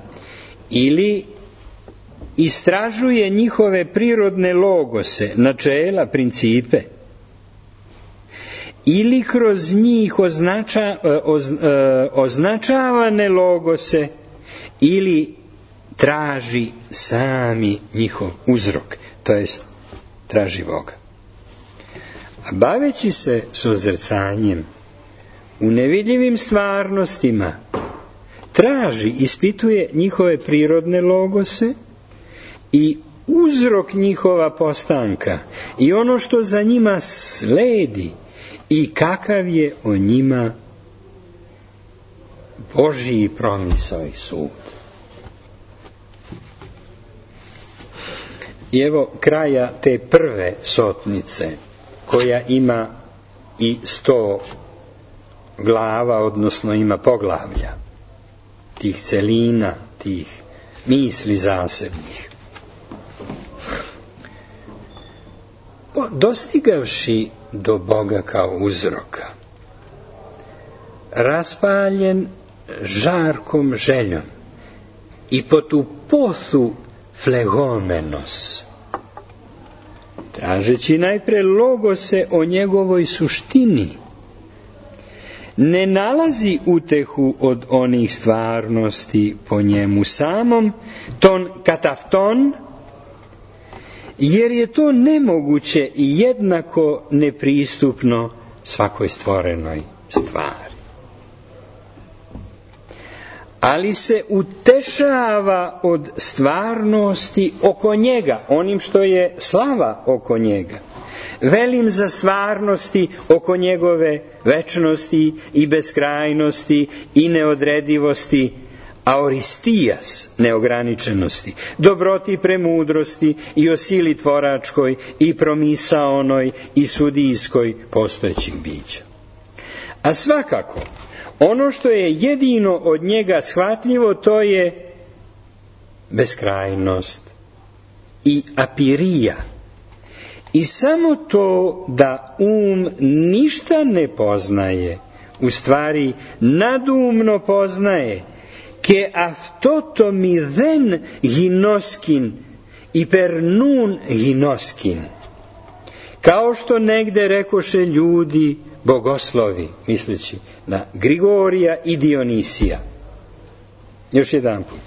ili istražuje njihove prirodne logose, načela, principe, ili kroz njih označa, oz, označavane logose, ili traži sami njihov uzrok, to jest traži Boga. A baveći se sozrcanjem u nevidljivim stvarnostima, traži, ispituje njihove prirodne logose i uzrok njihova postanka i ono što za njima sledi i kakav je o njima Božji promisao i sud. I evo kraja te prve sotnice, koja ima i sto glava, odnosno ima poglavlja, tih celina, tih misli zasebnih. Dostigavši do Boga kao uzroka, raspaljen žarkom željom i po tu pothu flegomenos, tražeći najpre logose o njegovoj suštini, ne nalazi utehu od onih stvarnosti po njemu samom, ton katafton, jer je to nemoguće i jednako nepristupno svakoj stvorenoj stvari. Ali se utešava od stvarnosti oko njega, onim što je slava oko njega. Velim za stvarnosti oko njegove večnosti i beskrajnosti i neodredivosti, aoristijas, neograničenosti, dobroti, premudrosti i o sili tvoračkoj i promisaonoj i sudijskoj postojećih bića. A svakako, ono što je jedino od njega shvatljivo, to je beskrajnost i apirija. I samo to da um ništa ne poznaje, u stvari nadumno poznaje, ke aftoto midhen ginoskin i per nun ginoskin. Kao što negde rekoše ljudi, bogoslovi, misleći na Grigorija i Dionisija. Još jedan put.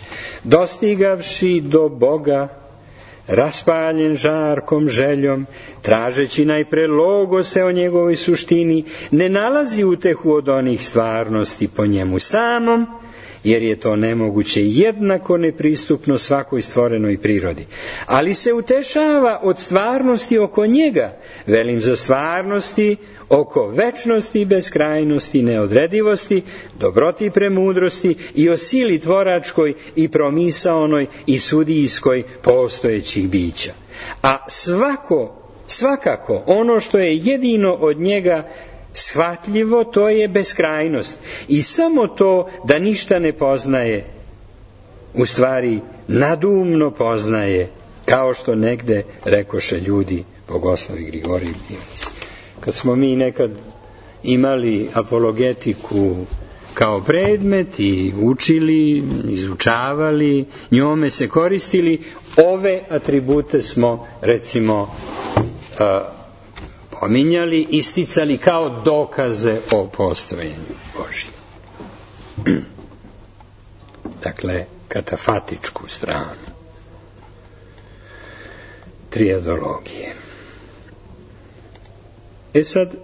Dostigavši do Boga, raspaljen žarkom željom, tražeći najpre logose o njegovoj suštini, ne nalazi utehu od onih stvarnosti po njemu samom, jer je to nemoguće jednako nepristupno svakoj stvorenoj prirodi. Ali se utešava od stvarnosti oko njega, velim za stvarnosti oko večnosti, beskrajnosti, neodredivosti, dobroti i premudrosti i o sili tvoračkoj i promisaonoj i sudijskoj postojećih bića. A svako, svakako ono što je jedino od njega shvatljivo, to je beskrajnost. I samo to da ništa ne poznaje, u stvari nadumno poznaje, kao što negde rekoše ljudi, bogoslovi Grigorij i Dionis. Kad smo mi nekad imali apologetiku kao predmet i učili, izučavali, njome se koristili, ove atribute smo, recimo, uh, pominjali, isticali kao dokaze o postojanju Božjem. Dakle, katafatičku stranu triadologije. E sad,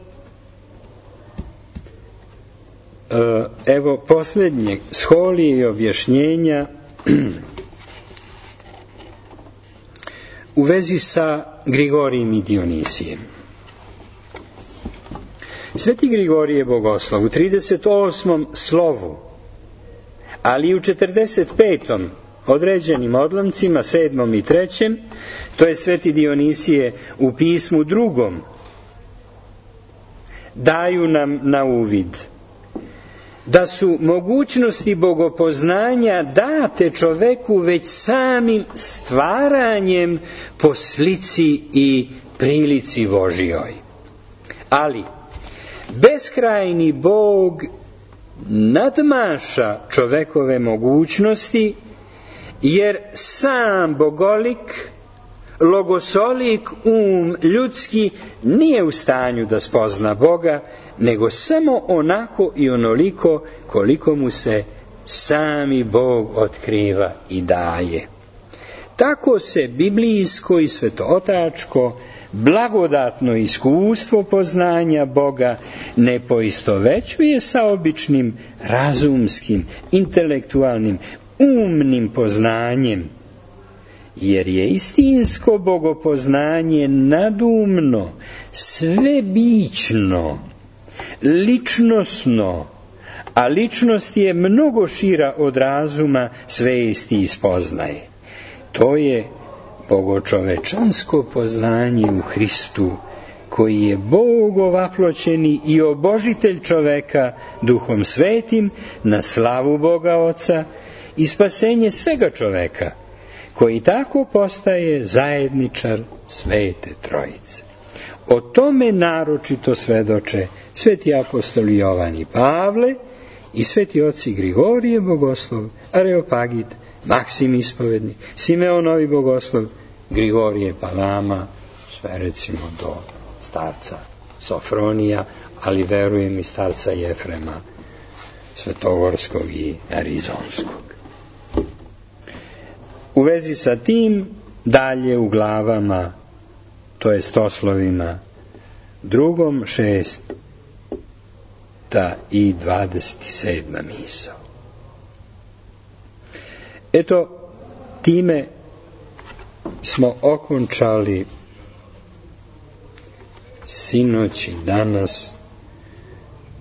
evo posljednjeg sholije i objašnjenja u vezi sa Grigorijem i Dionisijem. Sveti Grigorije Bogoslov u trideset osmom slovu, ali i u četrdeset petom određenim odlomcima, sedmom i trećem, to je Sveti Dionisije u pismu drugom, daju nam na uvid da su mogućnosti bogopoznanja date čoveku već samim stvaranjem po slici i prilici Božjoj. Ali beskrajni Bog nadmaša čovekove mogućnosti, jer sam bogolik, logosolik um ljudski nije u stanju da spozna Boga, nego samo onako i onoliko koliko mu se sami Bog otkriva i daje. Tako se biblijsko i svetootačko blagodatno iskustvo poznanja Boga ne poistovećuje sa običnim razumskim, intelektualnim, umnim poznanjem, jer je istinsko bogopoznanje nadumno, svebićno, ličnosno, a ličnost je mnogo šira od razuma svesti i spoznaje. To je bogočovečansko poznanje u Hristu, koji je Bog ovaploćeni i obožitelj čoveka Duhom Svetim na slavu Boga Oca i spasenje svega čoveka, koji tako postaje zajedničar Svete Trojice. O tome naročito svedoče sveti apostoli Jovan i Pavle i sveti oci Grigorije Bogoslov, Areopagit, Maksim Ispovednik, Simeon Novi Bogoslov, Grigorije Palama, sve recimo do starca Sofronija, ali verujem i starca Jefrema Svetogorskog i Arizonskog. U vezi sa tim, dalje u glavama, to jest oslovima drugom, šesta i dvadeset sedma misao. Eto, time smo okončali sinoć i danas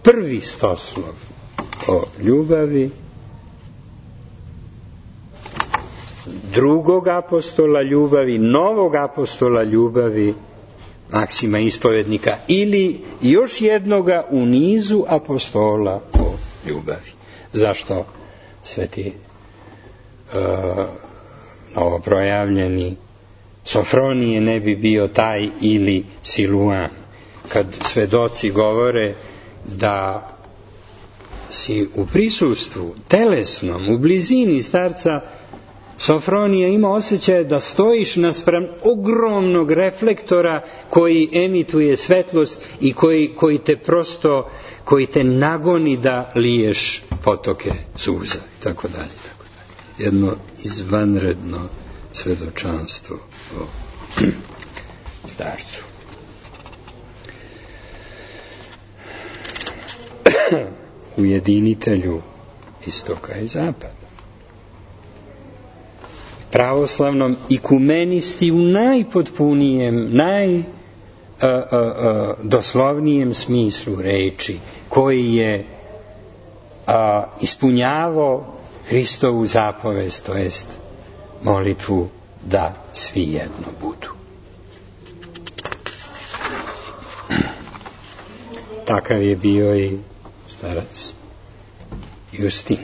prvi stoslov o ljubavi drugog apostola ljubavi, novog apostola ljubavi, Maksima Ispovednika, ili još jednoga u nizu apostola o ljubavi. Zašto sveti uh, novoprojavljeni Sofronije ne bi bio taj ili Siluan, kad svedoci govore da si u prisustvu telesnom, u blizini starca Sofronija ima osjećaj da stojiš naspram ogromnog reflektora koji emituje svetlost i koji, koji te prosto, koji te nagoni da liješ potoke suza i tako dalje, tako dalje. Jedno izvanredno svedočanstvo o starcu. Ujedinitelju istoka i zapada. Pravoslavnom ikumenisti u najpotpunijem, najdoslovnijem smislu reči, koji je a, ispunjavao Hristovu zapovest, to jest molitvu da svi jedno budu. Takav je bio i starac Justin,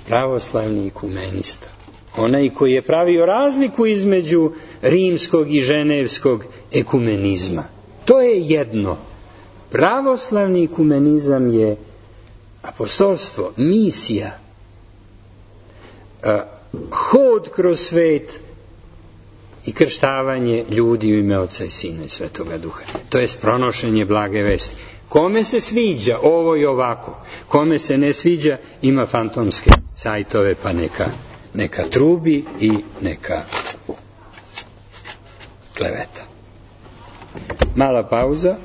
pravoslavni ikumenista. Onaj koji je pravio razliku između rimskog i ženevskog ekumenizma. To je jedno. Pravoslavni ekumenizam je apostolstvo, misija, hod kroz svet i krštavanje ljudi u ime Oca i Sina i Svetoga Duha. To je pronošenje blage vesti. Kome se sviđa ovo i ovako, kome se ne sviđa, ima fantomske sajtove, pa neka neka trubi i neka kleveta. Mala pauza.